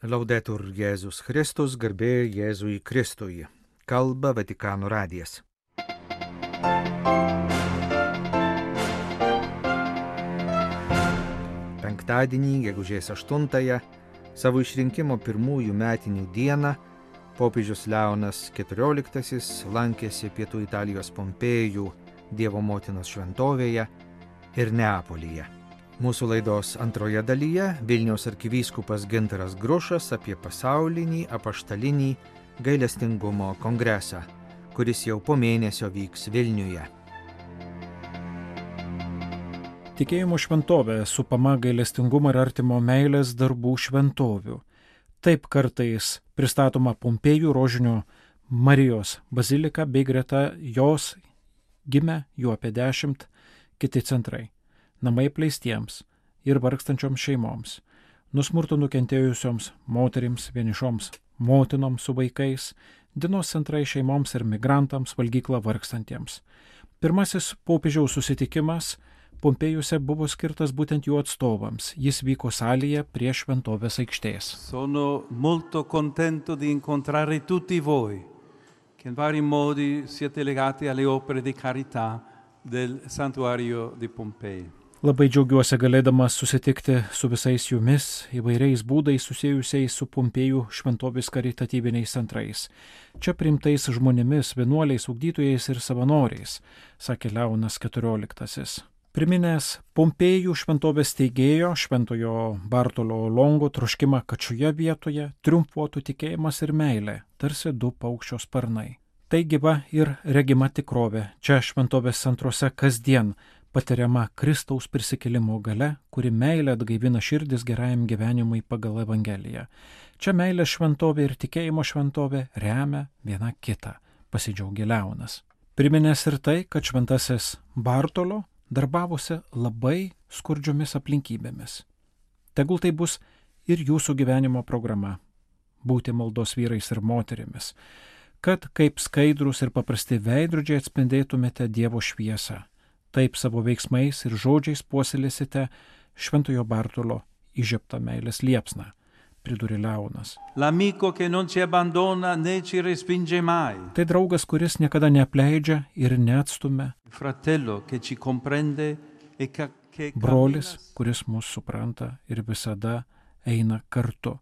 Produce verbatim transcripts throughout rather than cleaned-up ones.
Laudetur Jėzus Kristus, garbė Jėzui Kristui. Kalba Vatikano radijas. Penktadienį, gegužės aštuntąją, savo išrinkimo pirmųjų metinių dieną, popiežius Leonas keturioliktasis lankėsi pietų Italijos Pompėjų Dievo motinos šventovėje ir Neapolyje. Mūsų laidos antroje dalyje Vilniaus arkivyskupas Gintaras Grušas apie pasaulinį apaštalinį gailestingumo kongresą, kuris jau po mėnesio vyks Vilniuje. Tikėjimo šventovė supama gailestingumo ir artimo meilės darbų šventovių. Taip kartais pristatoma Pompėjų Rožinio Marijos bazilika bei greta jos gimė jų apie dešimt kiti centrai. Namai apleistiems ir vargstančioms šeimoms, nuo smurto nukentėjusioms moterims, vienišoms motinoms su vaikais, dienos centrai šeimoms ir migrantams, valgykla vargstantiems. Pirmasis popiežiaus susitikimas Pompėjuose buvo skirtas būtent jų atstovams. Jis vyko salėje prie šventovės aikštės. Sono molto contento di incontrare tutti voi, che in vari modi siete legati alle opere di carità del santuario di Pompei. Labai džiaugiuosi galėdamas susitikti su visais jumis įvairiais būdais susijusiais su Pompėjų šventovės karitatyviniais centrais. Čia priimtais žmonėmis, vienuoliais, ugdytojais ir savanoriais, sakė Leonas keturioliktasis. Priminęs Pompėjų šventovės steigėjo Šventojo Bartolo Longo troškimą, kad šioje vietoje triumfuotų tikėjimas ir meilė, tarsi du paukščio sparnai. Tai gyva ir regima tikrovė. Čia šventovės centruose kasdien patiriama Kristaus prisikėlimo galia, kuri meilė atgaivina širdis gerajam gyvenimui pagal Evangeliją. Čia meilės šventovė ir tikėjimo šventovė remia viena kitą, pasidžiaugė Leonas. Priminęs ir tai, kad šventasis Bartolo darbavosi labai skurdžiomis aplinkybėmis. Tegul tai bus ir jūsų gyvenimo programa - būti maldos vyrais ir moterimis, kad kaip skaidrus ir paprasti veidrodžiai atspindėtumėte Dievo šviesą. Taip savo veiksmais ir žodžiais puoselėsite Šventojo Bartolo įžiebtą meilės liepsną, pridūrė Leonas. L'amico che non ci abbandona né ci respinge mai. Tai draugas, kuris niekada neapleidžia ir neatstumia. Fratello che ci comprende e che Brolis, kuris mus supranta ir visada eina kartu.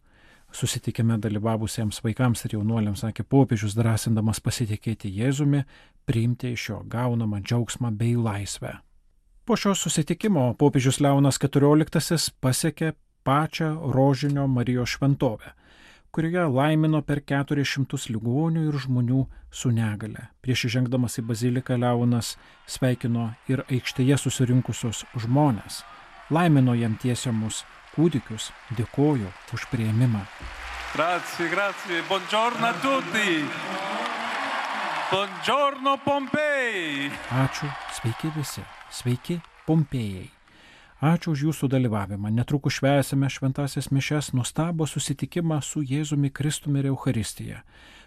Susitikime dalyvavusiems vaikams ir jaunuoliams sakė popiežius, drąsindamas pasitikėti Jėzumi, priimti iš jo gaunamą džiaugsmą bei laisvę. Po šio susitikimo popiežius Leonas keturioliktasis pasiekė pačią Rožinio Marijos šventovę, kurioje laimino per keturis šimtus ligonių ir žmonių su negale. Prieš įžengdamas į baziliką Leonas sveikino ir aikštėje susirinkusius žmones, laimino jam tiesiamus kūdikius, dėkoju už priėmimą. Grazie, grazie, buongiorno a tutti. Buongiorno Pompei. Ačiū, sveiki visi, sveiki Pompėjai. Ačiū už jūsų dalyvavimą. Netrukus švęsime šventąsias mišias, nuostabų susitikimą su Jėzumi Kristumi ir Eucharistija.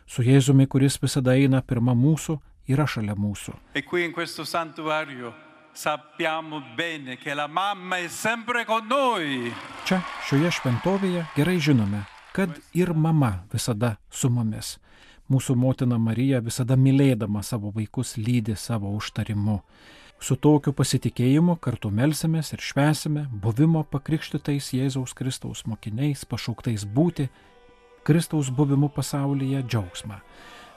Su Jėzumi, kuris visada eina pirma mūsų, yra šalia mūsų. E qui in questo santuario sappiamo bene che la mamma è sempre con noi. Čia, šioje šventovėje gerai žinome, kad ir mama visada su mumis. Mūsų motina Marija visada mylėdama savo vaikus lydi savo užtarimu. Su tokiu pasitikėjimu kartu melsimės ir švęsime buvimo pakrikštytais Jėzaus Kristaus mokiniais, pašauktais būti Kristaus buvimu pasaulyje džiaugsmą,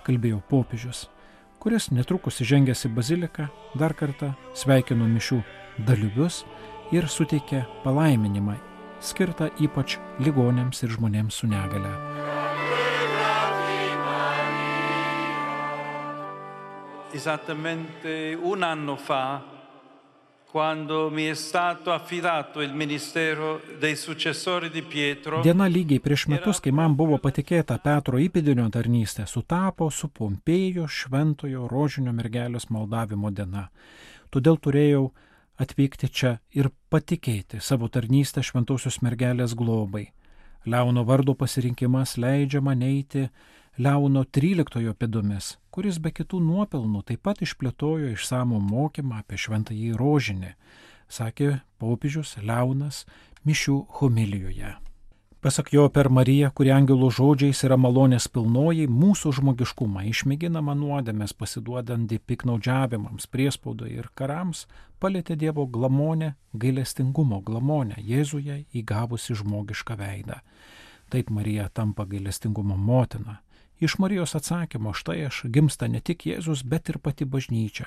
kalbėjo popiežius, kuris netrukus įžengęs į baziliką dar kartą sveikino mišių dalyvius ir suteikė palaiminimą, skirtą ypač ligoniams ir žmonėms su negale. Esattamente un anno fa, quando mi è stato affidato il ministero dei successori di Pietro. Diena lygiai prieš metus, kai man buvo patikėta Petro įpėdinio tarnystė, sutapo su Pompėjo Šventojo Rožinio mergelės maldavimo diena. Todėl turėjau atvykti čia ir patikėti savo tarnystę Šventosios mergelės globai. Leono vardo pasirinkimas leidžia man eiti Leono tryliktojo pėdomis, kuris be kitų nuopelnų taip pat išplėtojo išsamų mokymą apie šventąjį rožinį, sakė popiežius Leonas mišių homilijoje. Pasak jo, per Mariją, kuri angelų žodžiais yra malonės pilnoji, mūsų žmogiškumą išmėginama nuodėmės pasiduodant piknaudžiavimams, priespaudai ir karams, palėtė Dievo glamonę, gailestingumo glamonę Jėzuje įgavusi žmogišką veidą. Taip Marija tampa gailestingumo motina. Iš Marijos atsakymo štai aš gimsta ne tik Jėzus, bet ir pati bažnyčia.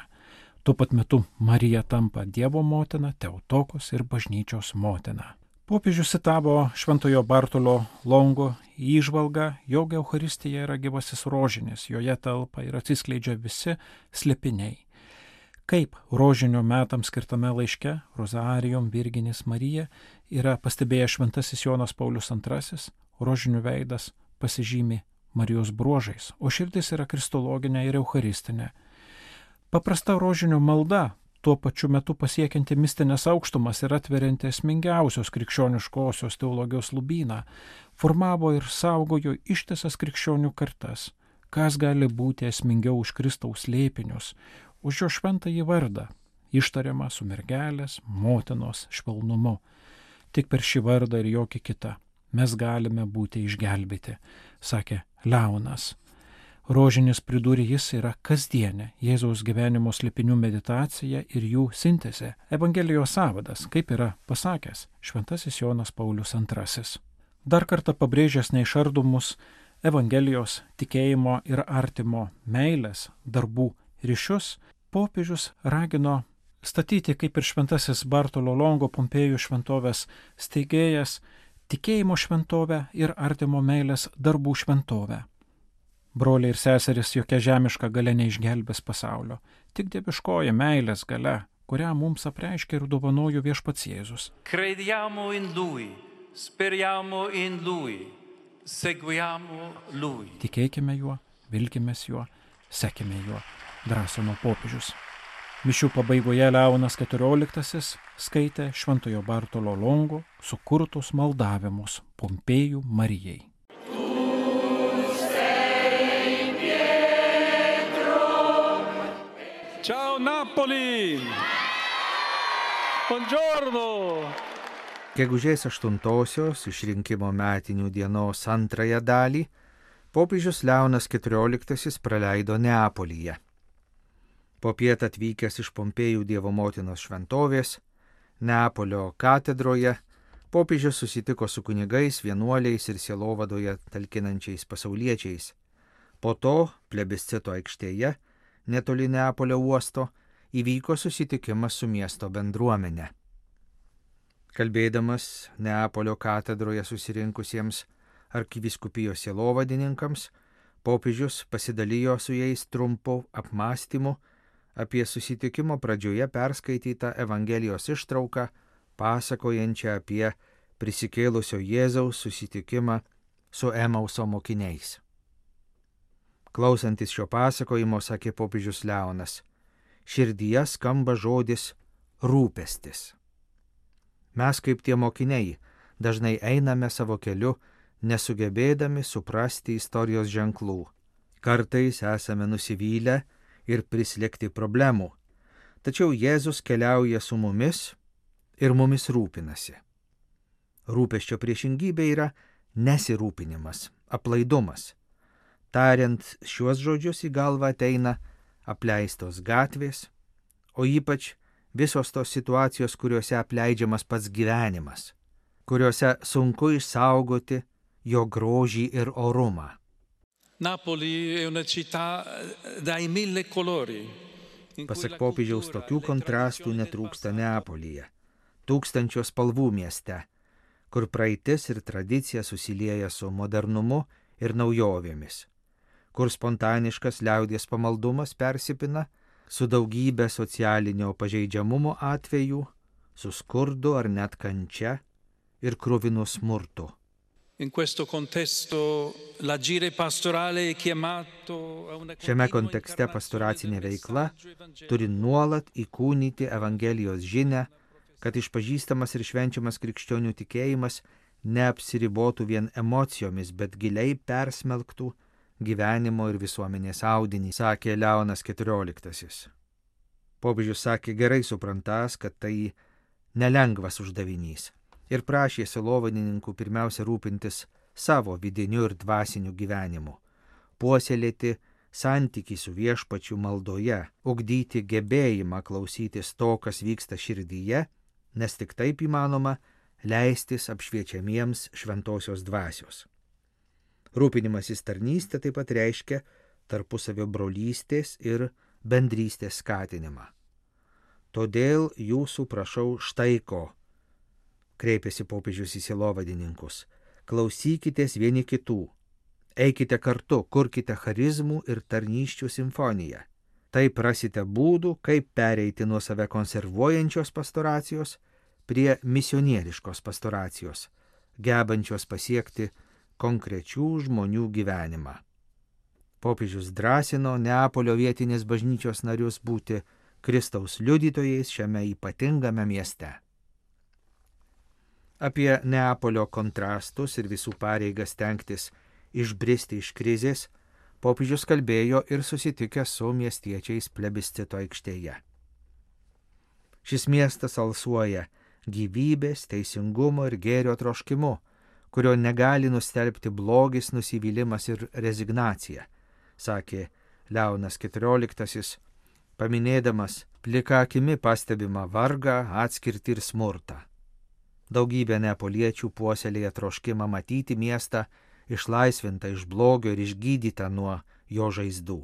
Tuo pat metu Marija tampa Dievo motina, Teotokos ir bažnyčios motina. Popiežius citavo Šventojo Bartolo Longo įžvalgą, jog Eucharistija yra gyvasis rožinis, joje telpa ir atsiskleidžia visi slėpiniai. Kaip rožinio metams skirtame laiške Rosarijum Virginis Marija yra pastebėjęs Šventasis Jonas Paulius antrasis, rožinių veidas pasižymi Marijos bruožais, o širdis yra kristologinė ir eucharistinė. Paprasta rožinio malda, tuo pačiu metu pasiekianti mistinės aukštumas ir atverianti esmingiausios krikščioniškosios teologijos lubyną, formavo ir saugojo ištisas krikščionių kartas. Kas gali būti esmingiau už Kristaus slėpinius, už jo šventąjį vardą, ištariamą su mergelės, motinos švelnumu. Tik per šį vardą ir jokį kitą mes galime būti išgelbėti, sakė Leonas. Rožinis, pridūrė jis, yra kasdienė Jėzaus gyvenimo slėpinių meditacija ir jų sintezė, Evangelijos sąvadas, kaip yra pasakęs Šventasis Jonas Paulius antrasis. Dar kartą pabrėžęs neišardomus Evangelijos, tikėjimo ir artimo meilės, darbų ryšius, popiežius ragino statyti, kaip ir Šventasis Bartolo Longo Pompėjų šventovės steigėjas, tikėjimo šventovę ir artimo meilės darbų šventovę. Broliai ir seserys, jokia žemiška galia neišgelbės pasaulio, tik dieviškoji meilės galia, kurią mums apreiškia ir dovanojo Viešpats Jėzus. Crediamo in Lui, speriamo in Lui, seguiamo Lui. Tikėkime juo, vilkimės juo, sekime juo, drąsino popiežius. Mišių pabaigoje Leonas keturioliktasis skaitė Šventojo Bartolo Longo sukurtus maldavimus Pompėjų Marijai. Ciao Napoli! Buongiorno! Gegužės aštuntosios išrinkimo metinių dienos antrąją dalį popiežius Leonas keturioliktasis praleido Neapolyje. Popiet atvykęs iš Pompėjų Dievo motinos šventovės, Neapolio katedroje, popiežius susitiko su kunigais, vienuoliais ir sielovadoje talkinančiais pasauliečiais. Po to plebiscito aikštėje, netoli Neapolio uosto, įvyko susitikimas su miesto bendruomenė. Kalbėdamas Neapolio katedroje susirinkusiems arkivyskupijos sielovadininkams, popiežius pasidalijo su jais trumpu apmąstymu apie susitikimo pradžioje perskaitytą Evangelijos ištrauką, pasakojančią apie prisikėlusio Jėzaus susitikimą su Emauso mokiniais. Klausantis šio pasakojimo, sakė popiežius Leonas, širdyje skamba žodis rūpestis. Mes kaip tie mokiniai dažnai einame savo keliu, nesugebėdami suprasti istorijos ženklų. Kartais esame nusivylę ir prislėgti problemų, tačiau Jėzus keliauja su mumis ir mumis rūpinasi. Rūpesčio priešingybė yra nesirūpinimas, aplaidumas. Tariant šiuos žodžius į galvą ateina apleistos gatvės, o ypač visos tos situacijos, kuriuose apleidžiamas pats gyvenimas, kuriuose sunku išsaugoti jo grožį ir orumą. Napoli è una città dai mille colori. Pasak popiežiaus, tokių kontrastų netrūksta Neapolyje, tūkstančio spalvų mieste, kur praeitis ir tradicija susilieja su modernumu ir naujovėmis, kur spontaniškas liaudies pamaldumas persipina su daugybė socialinio pažeidžiamumo atvejų, su skurdu ar net kančia ir kruvinu smurtu. Šiame kontekste pastoracinė veikla turi nuolat įkūnyti Evangelijos žinią, kad išpažįstamas ir švenčiamas krikščionių tikėjimas neapsiribotų vien emocijomis, bet giliai persmelktų gyvenimo ir visuomenės audinį, sakė Leonas keturioliktasis. Popiežius sakė gerai suprantas, kad tai nelengvas uždavinys. ir prašė sielovadininkų pirmiausia rūpintis savo vidiniu ir dvasiniu gyvenimu, puoselėti santykį su viešpačiu maldoje, ugdyti gebėjimą klausytis to, kas vyksta širdyje, nes tik taip įmanoma leistis apšviečiamiems šventosios dvasios. Rūpinimasis tarnystė taip pat reiškia tarpusavio brolystės ir bendrystės skatinimą. Todėl jūsų prašau štai ko, kreipėsi popiežius į sielovadininkus, klausykitės vieni kitų, eikite kartu, kurkite charizmų ir tarnysčių simfoniją. Taip rasite būdų, kaip pereiti nuo save konservuojančios pastoracijos prie misionieriškos pastoracijos, gebančios pasiekti konkrečių žmonių gyvenimą. Popiežius drąsino Neapolio vietinės bažnyčios narius būti Kristaus liudytojais šiame ypatingame mieste. Apie Neapolio kontrastus ir visų pareigas stengtis išbristi iš krizės, popiežius kalbėjo ir susitikęs su miestiečiais plebiscito aikštėje. Šis miestas alsuoja gyvybės, teisingumo ir gėrio troškimu, kurio negali nustelbti blogis, nusivylimas ir rezignacija, sakė Leonas keturioliktasis, paminėdamas plika akimi pastebimą vargą, atskirtį ir smurtą. Daugybė neapoliečių puoselėja troškimą matyti miestą išlaisvintą iš blogio ir išgydytą nuo jo žaizdų.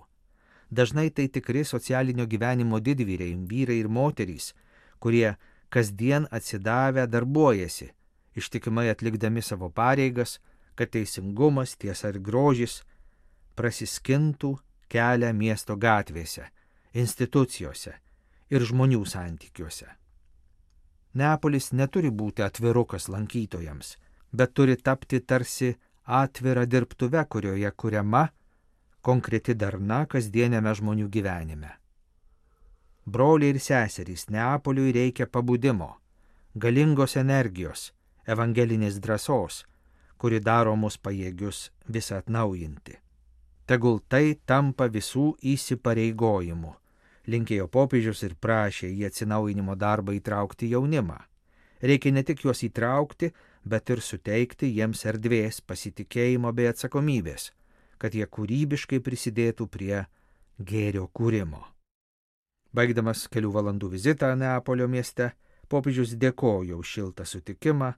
Dažnai tai tikri socialinio gyvenimo didvyriai, vyrai ir moterys, kurie kasdien atsidavę darbuojasi, ištikimai atlikdami savo pareigas, kad teisingumas, tiesa ir grožis prasiskintų kelią miesto gatvėse, institucijose ir žmonių santykiuose. Neapolis neturi būti atvirukas lankytojams, bet turi tapti tarsi atvira dirbtuve, kurioje kuriama konkreti darna kasdieniame žmonių gyvenime. Broliai ir seserys, Neapoliui reikia pabudimo, galingos energijos, evangelinės drąsos, kuri daro mus pajėgius visą atnaujinti. Tegul tai tampa visų įsipareigojimu, linkėjo popiežius ir prašė į atsinaujinimo darbą įtraukti jaunimą. Reikia ne tik juos įtraukti, bet ir suteikti jiems erdvės, pasitikėjimo bei atsakomybės, kad jie kūrybiškai prisidėtų prie gėrio kūrimo. Baigdamas kelių valandų vizitą Neapolio mieste, popiežius dėkojo už šiltą sutikimą,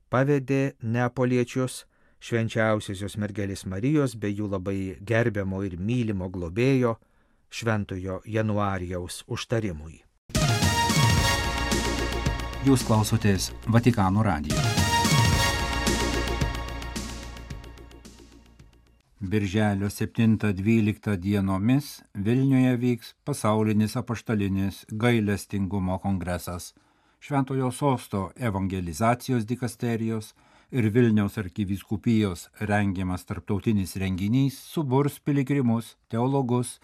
pavedė neapoliečius švenčiausiosios mergelės Marijos bei jų labai gerbiamo ir mylimo globėjo šventojo Januarijaus užtarimui. Jūs klausotės Vatikano radijo. Birželio septintą dvyliktą dienomis Vilniuje vyks pasaulinis apaštalinis gailestingumo kongresas. Šventojo sosto evangelizacijos dikasterijos ir Vilniaus arkivyskupijos rengiamas tarptautinis renginys suburs piligrimus, teologus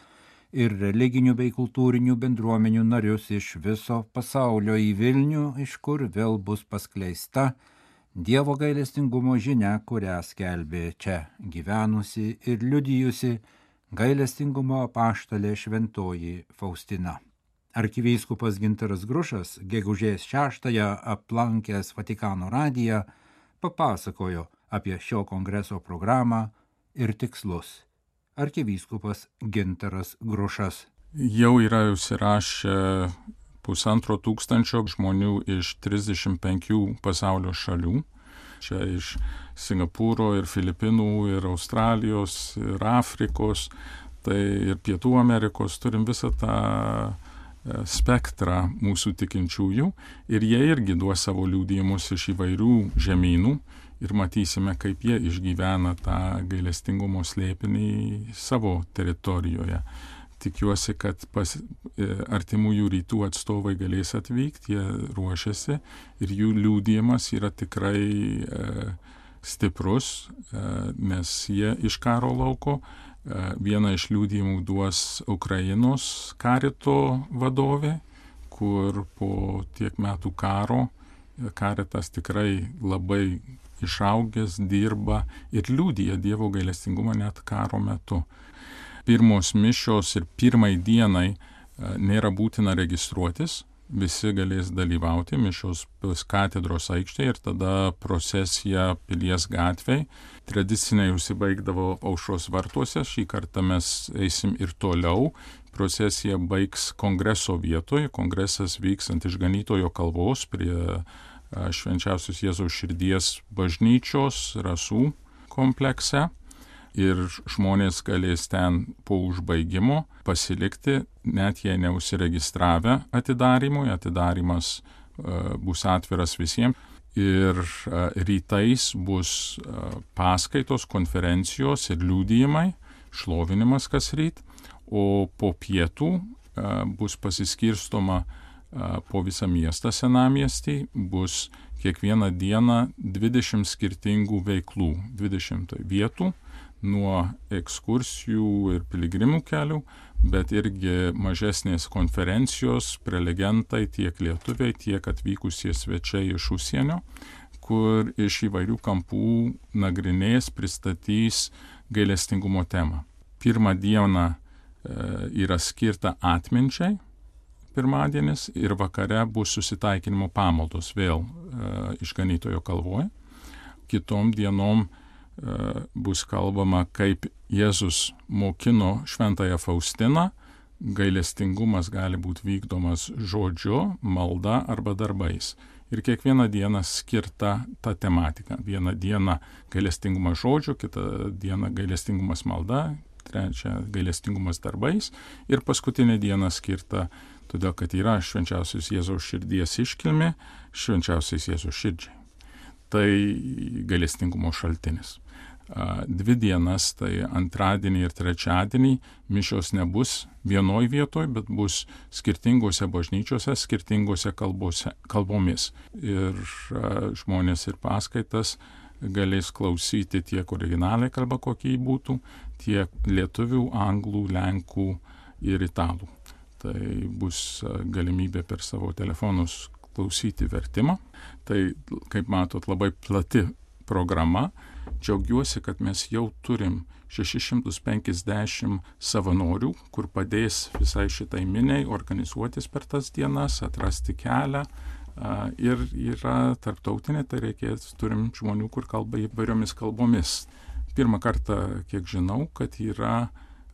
ir religinių bei kultūrinių bendruomenių narius iš viso pasaulio į Vilnių, iš kur vėl bus paskleista Dievo gailestingumo žinia, kurią skelbė čia gyvenusi ir liudijusi gailestingumo apaštalė šventoji Faustina. Arkivyskupas Gintaras Grušas gegužės šeštąją aplankęs Vatikano radiją papasakojo apie šio kongreso programą ir tikslus. Arkivyskupas Gintaras Grušas. Jau yra užsirašę pusantro tūkstančio žmonių iš trisdešimt penkių pasaulio šalių. Čia iš Singapūro ir Filipinų ir Australijos ir Afrikos, tai ir Pietų Amerikos, turim visą tą spektrą mūsų tikinčiųjų ir jie irgi duos savo liudijimus iš įvairių žemynų ir matysime, kaip jie išgyvena tą gailestingumo slėpinį savo teritorijoje. Tikiuosi, kad pas, artimųjų rytų atstovai galės atvykti, jie ruošiasi ir jų liudijimas yra tikrai e, stiprus, e, nes jie iš karo lauko. E, vieną iš liudijimų duos Ukrainos karito vadovė, kur po tiek metų karo karitas tikrai labai išaugęs, dirba ir liudija Dievo gailestingumą net karo metu. Pirmos mišios ir pirmai dienai nėra būtina registruotis, visi galės dalyvauti, mišios bus katedros aikštėje ir tada procesija Pilies gatvėj. Tradiciniai užsibaigdavo Aušros vartuose, šį kartą mes eisim ir toliau. Procesija baigs kongreso vietoje, kongresas vyks ant Išganytojo kalvos prie Švenčiausios Jėzaus širdies bažnyčios Rasų komplekse. Ir žmonės galės ten po užbaigimo pasilikti, net jei neužsiregistravę atidarimui. Atidarimas uh, bus atviras visiems. Ir uh, rytais bus uh, paskaitos, konferencijos ir liudijimai, šlovinimas kas ryt, o po pietų uh, bus pasiskirstoma uh, po visą miestą senamiestį, bus kiekvieną dieną dvidešimt skirtingų veiklų, dvidešimt vietų, nuo ekskursijų ir piligrimų kelių, bet irgi mažesnės konferencijos, prelegentai, tiek lietuviai, tiek atvykusie svečiai iš užsienio, kur iš įvairių kampų nagrinės, pristatys gailestingumo temą. Pirmą dieną e, yra skirta atminčiai, pirmadienis, ir vakare bus susitaikinimo pamaldos vėl e, Išganytojo kalvoje. Kitom dienom bus kalbama, kaip Jėzus mokino šventąją Faustiną. Gailestingumas gali būti vykdomas žodžiu, malda arba darbais. Ir kiekvieną dieną skirta ta tematika. Vieną dieną gailestingumas žodžiu, kitą dieną gailestingumas malda, trečią gailestingumas darbais ir paskutinę dieną skirta, todėl kad yra Švenčiausios Jėzaus širdies iškilmė, Švenčiausios Jėzaus širdžiai. Tai gailestingumo šaltinis. Dvi dienas, tai antradienį ir trečiadienį, mišios nebus vienoj vietoj, bet bus skirtingose bažnyčiose, skirtingose kalbose, kalbomis. Ir žmonės ir paskaitas galės klausyti tiek originaliai kalba, kokie būtų, tiek lietuvių, anglų, lenkų ir italų. Tai bus galimybė per savo telefonus klausyti vertimą. Tai, kaip matot, labai plati programa. Džiaugiuosi, kad mes jau turim šešis šimtus penkiasdešimt savanorių, kur padės visai šitai miniai organizuotis per tas dienas, atrasti kelią. Ir yra tarptautinė, tai reikės, turim žmonių, kur kalba įvairiomis kalbomis. Pirmą kartą, kiek žinau, kad yra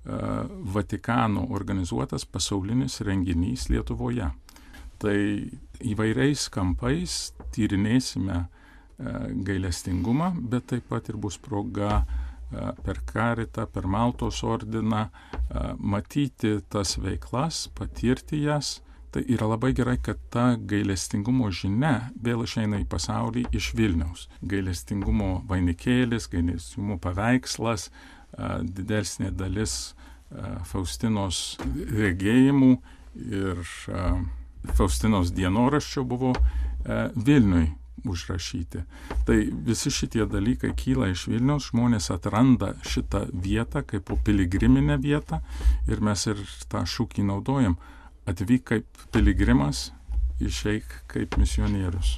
Vatikano organizuotas pasaulinis renginys Lietuvoje. Tai įvairiais kampais tyrinėsime gailestingumą, bet taip pat ir bus proga per Karitą, per Maltos ordiną matyti tas veiklas, patirti jas. Tai yra labai gerai, kad ta gailestingumo žinia vėl išeina į pasaulį iš Vilniaus. Gailestingumo vainikėlis, gailestingumo paveikslas, didesnė dalis Faustinos regėjimų ir Faustinos dienoraščio buvo Vilniui užrašyti. Tai visi šitie dalykai kyla iš Vilniaus, žmonės atranda šitą vietą kaip piligriminę vietą ir mes ir tą šūkį naudojam. Atvyk kaip piligrimas, išeik kaip misionierius.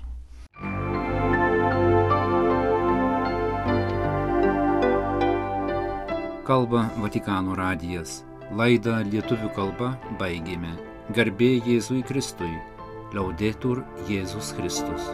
Kalba Vatikano radijas. Laidą lietuvių kalba baigėme. Garbė Jėzui Kristui. Laudetur Jėzus Kristus.